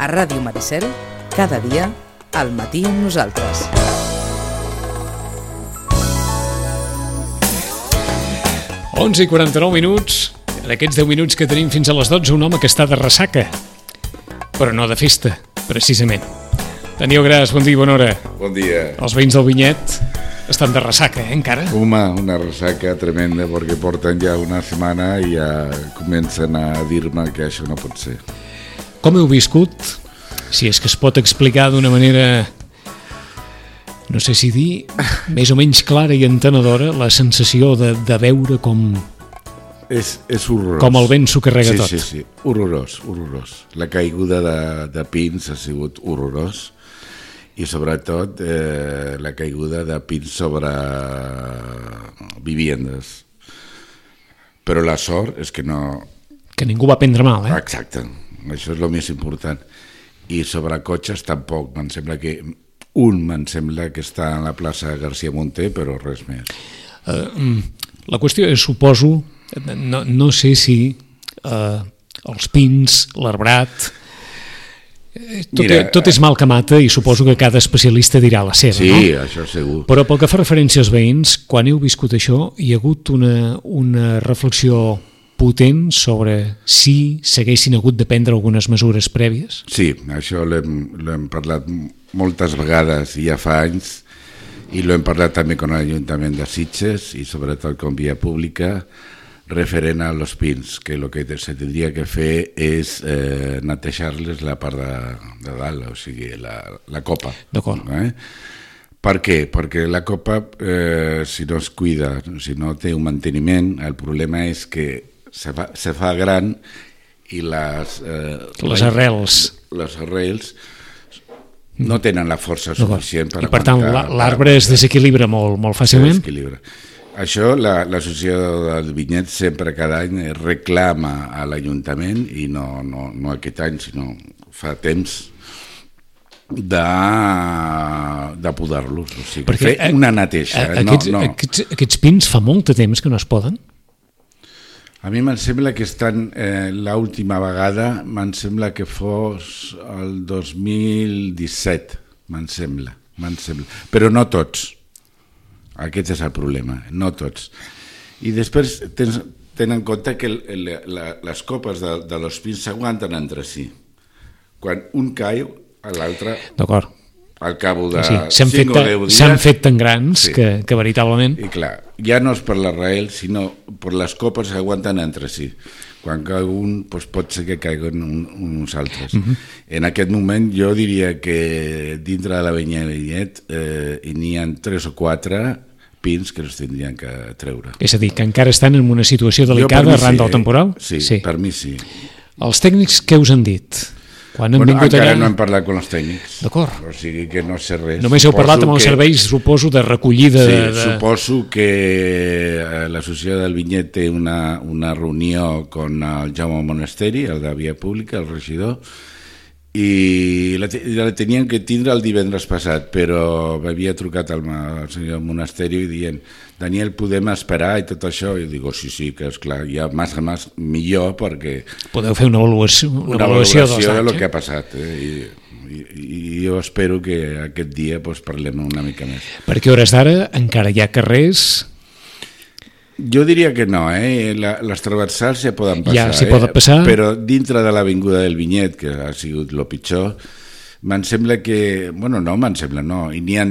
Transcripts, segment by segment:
A Ràdio Maricel, cada dia, al matí amb nosaltres. Onze i 49 minuts. En aquests 10 minuts que tenim fins a les 12, un home que està de ressaca, però no de festa, precisament. Daniel Gras, bon dia i bona hora. Bon dia. Els veïns del Vinyet estan de ressaca, encara? Una ressaca tremenda, perquè porten ja una setmana i ja comencen a dir-me que això no pot ser. Com heu viscut, si és que es pot explicar d'una manera, no sé si dir, més o menys clara i entenedora, la sensació de veure com... És horrorós. Com el vent s'ho carrega tot. Sí, horrorós. La caiguda de pins ha sigut horrorós i sobretot la caiguda de pins sobre viviendes. Però la sort és que no... Que ningú va prendre mal, Exacte, això és el més important. I sobre cotxes tampoc, me'n sembla que està a la plaça García Monter, però res més. La qüestió és, suposo, no sé si els pins, l'arbrat, tot és mal que mata i suposo que cada especialista dirà la seva, sí, no? Sí, això segur. Però pel que fa referència als veïns, quan heu viscut això, hi ha hagut una reflexió potent sobre si s'haguessin hagut de prendre algunes mesures prèvies? Sí, això l'hem parlat moltes vegades i ja fa anys, i l'hem parlat també amb l'Ajuntament de Sitges i sobretot com via pública referent a los pins, que el que se tindria que fer és netejar-les la part de dalt, o sigui, la copa. D'acord. Per què? Perquè la copa, si no es cuida, si no té un manteniment, el problema és que se fa gran i les arrels no tenen la força suficient per aguantar. I per tant l'arbre es desequilibra molt fàcilment? Això l'associació del Vinyet sempre cada any reclama a l'Ajuntament, i no aquest any sinó fa temps, de podar-los, o sigui, fer una neteja. Aquests pins fa molt de temps que no es poden? A mi me'n sembla que estan, l'última vegada, me'n sembla que fos el 2017, me'n sembla. Però no tots. Aquest és el problema, no tots. I després tenen en compte que les copes de los pins s'aguanten entre si. Quan un cau, l'altre... D'acord. Al cap de 5 o 10 dies... S'han fet tan grans que veritablement... I clar, ja no és per l'arrel, sinó per les copes que aguanten entre si. Quan cau un, pot ser que caiguen uns altres. En aquest moment jo diria que dintre de la Vinyet n'hi ha 3 o 4 pins que els tindrien que treure. És a dir, que encara estan en una situació delicada arran del temporal? Sí, per mi sí. Els tècnics què us han dit? Encara no hem parlat amb els tècnics. D'acord. O sigui que no sé res. Només heu parlat amb els serveis, suposo, de recollida... Sí, suposo que l'associació del Vinyet té una reunió amb el Jaume Monasteri, el de Via Pública, el regidor, i la tenien que tindre el divendres passat, però m'havia trucat el senyor Monasteri dient: Daniel, podem esperar i tot això? I dic, sí, que esclar, ja més millor, perquè... Podeu fer una avaluació de lo que ha passat, i jo espero que aquest dia parlem una mica més. Perquè a hores d'ara encara hi ha carrers... Jo diria que no, les transversals ja poden passar, ja s'hi poden passar, però dintre de l'avinguda del Vinyet, que ha sigut el pitjor, me'n sembla que, no, i n'hi ha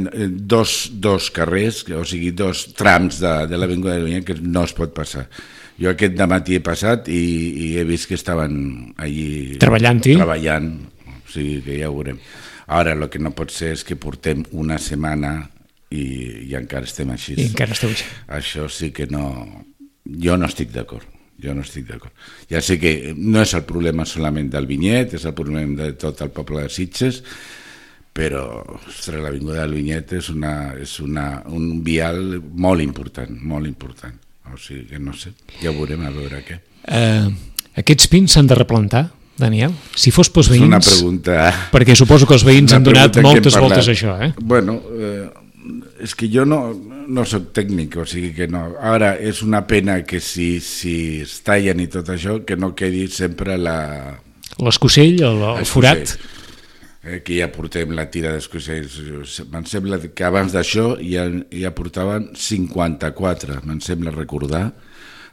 dos carrers, o sigui, 2 trams de l'avinguda del Vinyet que no es pot passar. Jo aquest dematí he passat i he vist que estaven allí treballant, o sigui que ja ho veurem. Ara, el que no pot ser és que portem una setmana i encara estem així. Això sí que no... Jo no estic d'acord. Ja sé que no és el problema solament del Vinyet, és el problema de tot el poble de Sitges, però l'avinguda del Vinyet és un vial molt important. O sigui que no sé, ja veurem a veure què. Aquests pins s'han de replantar, Daniel? Si fos pels veïns... És una pregunta... Perquè suposo que els veïns han donat moltes voltes a això, Bueno... És que jo no soc tècnic, o sigui que no. Ara, és una pena que si es tallen i tot això, que no quedi sempre l'escocell, el forat. que ja portem la tira d'escocells. Me'n sembla que abans d'això ja portaven 54, me'n sembla recordar,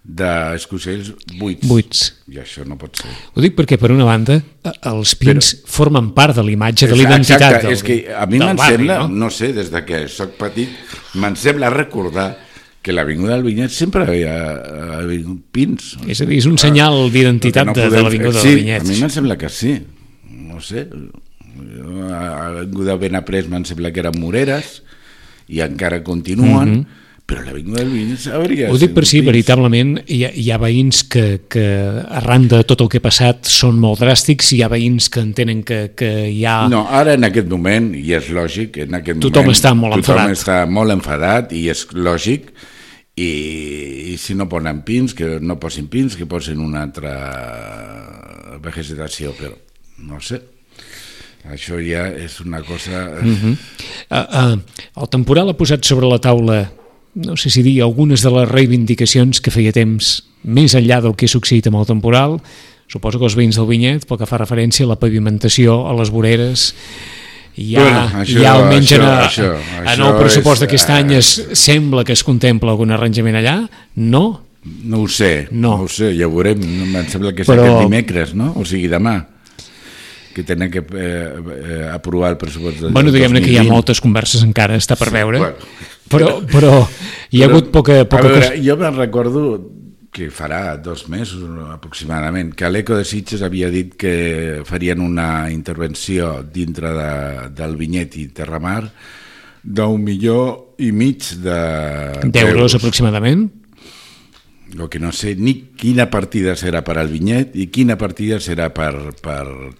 d'escocells buits. I això no pot ser. Ho dic perquè, per una banda, els pins formen part de l'imatge, de l'identitat és que a mi me'n sembla, no sé, des que soc petit, me'n sembla recordar que l'Avinguda del Vinyet sempre havia pins. És a dir, és un senyal d'identitat de l'Avinguda del Vinyet. Sí, a mi me'n sembla que sí. No sé, a l'Avinguda Benaprés me'n sembla que eren moreres i encara continuen, però l'Avinguda del Vinyet hauria... Ho dic per si, veritablement, hi ha veïns que arran de tot el que ha passat són molt dràstics, hi ha veïns que entenen que hi ha... No, ara en aquest moment, i és lògic, en aquest tothom està molt enfadat. Tothom està molt enfadat i és lògic, i si no posen pins, que no posin pins, que posin una altra vegetació, però no sé. Això ja és una cosa... El temporal ha posat sobre la taula, no sé si dir, algunes de les reivindicacions que feia temps, més enllà del que ha succeït amb el temporal. Suposo que els veïns del Vinyet, pel que fa referència a la pavimentació, a les voreres, almenys en el pressupost d'aquest any sembla que es contempla algun arranjament allà, no? No ho sé, ja ho veurem, em sembla que és aquest dimecres, no? O sigui, demà, que tenen que aprovar el pressupost del 2020. Diguem-ne que hi ha moltes converses encara, està per veure, però hi ha hagut poca cosa. Jo me'n recordo que farà 2 mesos aproximadament, que l'Eco de Sitges havia dit que farien una intervenció dintre del Vinyet i Terramar d'1,5 milions d'euros aproximadament. El que no sé ni quina partida serà per al Vinyet i quina partida serà per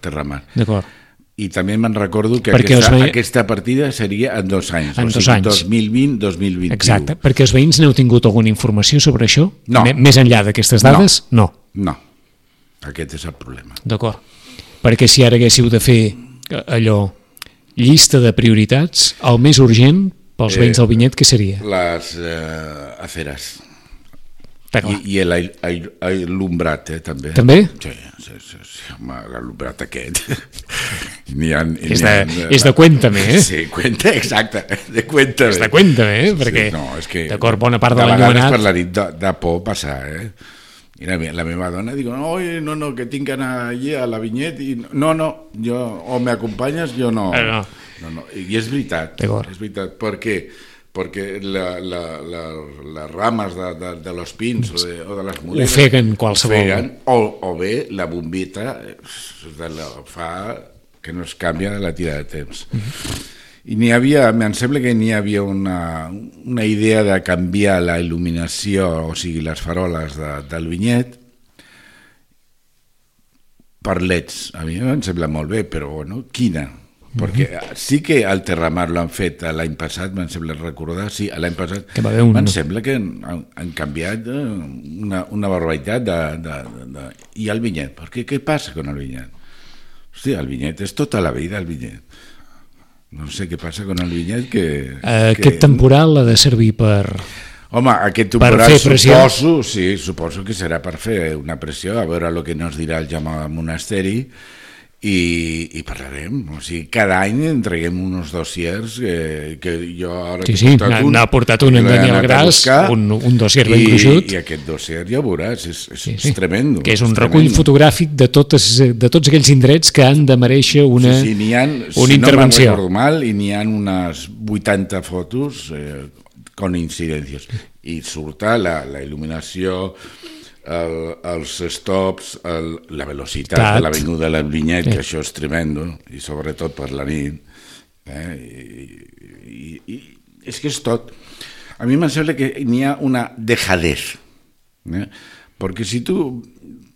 Terramar. D'acord. I també me'n recordo que aquesta partida seria en 2 anys, en 2 anys. 2020-2021. Exacte, perquè els veïns n'heu tingut alguna informació sobre això? No. Més enllà d'aquestes dades? No. Aquest és el problema. D'acord, perquè si ara haguéssiu de fer allò, llista de prioritats, el més urgent pels veïns del Vinyet, què seria? Les aceres. I l'alumbrat, també. També? Sí, home, l'alumbrat aquest. És de Cuéntame, Sí, exacte, de Cuéntame. És de Cuéntame, perquè, d'acord, bona part de l'enllumenat... De vegades per la nit de por passar, I la meva dona diu, no, que tinc que anar allí a la Vinyet, i no, o m'acompanyes, jo no. No. I és veritat, perquè les rames de los pins o de les moreres ofeguen qualsevol. O bé la bombita fa que no es canvia de la tira de temps. I em sembla que n'hi havia una idea de canviar la il·luminació, o sigui, les faroles del Vinyet per leds. A mi em sembla molt bé, però quina? Perquè sí que al Terramar l'han fet l'any passat, me'n sembla recordar, sí, l'any passat, me'n sembla que han canviat una barbaritat i el Vinyet, perquè què passa con el Vinyet? Hòstia, el Vinyet és tota la vida el Vinyet. No sé què passa con el Vinyet Aquest temporal ha de servir per... Home, aquest temporal suposo que serà per fer una pressió, a veure el que nos dirà el Jaume Monasteri, i parlarem, o sigui, cada any entreguem uns dossiers que jo ara n'ha portat un en Daniel Gras, un dossier ben gruixut, i aquest dossier ja ho veuràs, és tremendo, que és un recull fotogràfic de tots aquells indrets que han de mereixer una intervenció. Si no me'n recordo mal, i n'hi ha unes 80 fotos con incidències, i surt la il·luminació, els stops, la velocitat de l'avinguda de l'Vinyet, que això és tremendo, i sobretot per la nit. I és que és tot. A mi em sembla que n'hi ha una dejadez, perquè si tu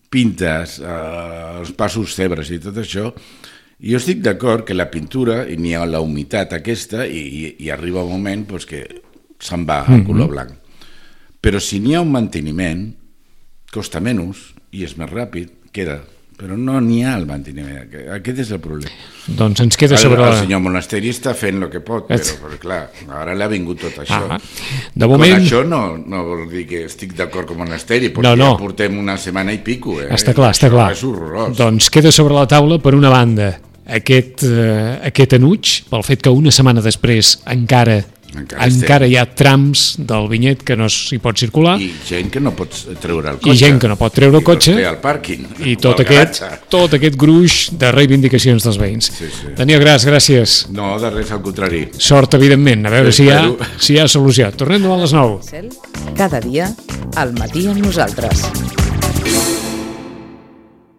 pintes els passos cebres i tot això, jo estic d'acord que la pintura, i n'hi ha la humitat aquesta, i arriba un moment que se'n va al color blanc. Però si n'hi ha un manteniment, costa menys i és més ràpid, queda, però no n'hi ha el manteniment. Aquest és el problema. Doncs ens queda sobre... El senyor Monasteri està fent el que pot, però clar, ara l'ha vingut tot això. De moment... Això no vol dir que estic d'acord amb Monasteri, perquè ja portem una setmana i pico. Està clar. És horrorós. Doncs queda sobre la taula, per una banda, aquest enuig, pel fet que una setmana després encara hi ha trams del vinyet que no s'hi pot circular. I gent que no pot treure el cotxe. I gent que no pot treure el cotxe. I al pàrquing. I tot aquest gruix de reivindicacions dels veïns. Sí. Daniel Gras, gràcies. No, de res, al contrari. Sort, evidentment. A veure si hi ha solució. Tornem demà a les 9. Cada dia, al matí amb nosaltres.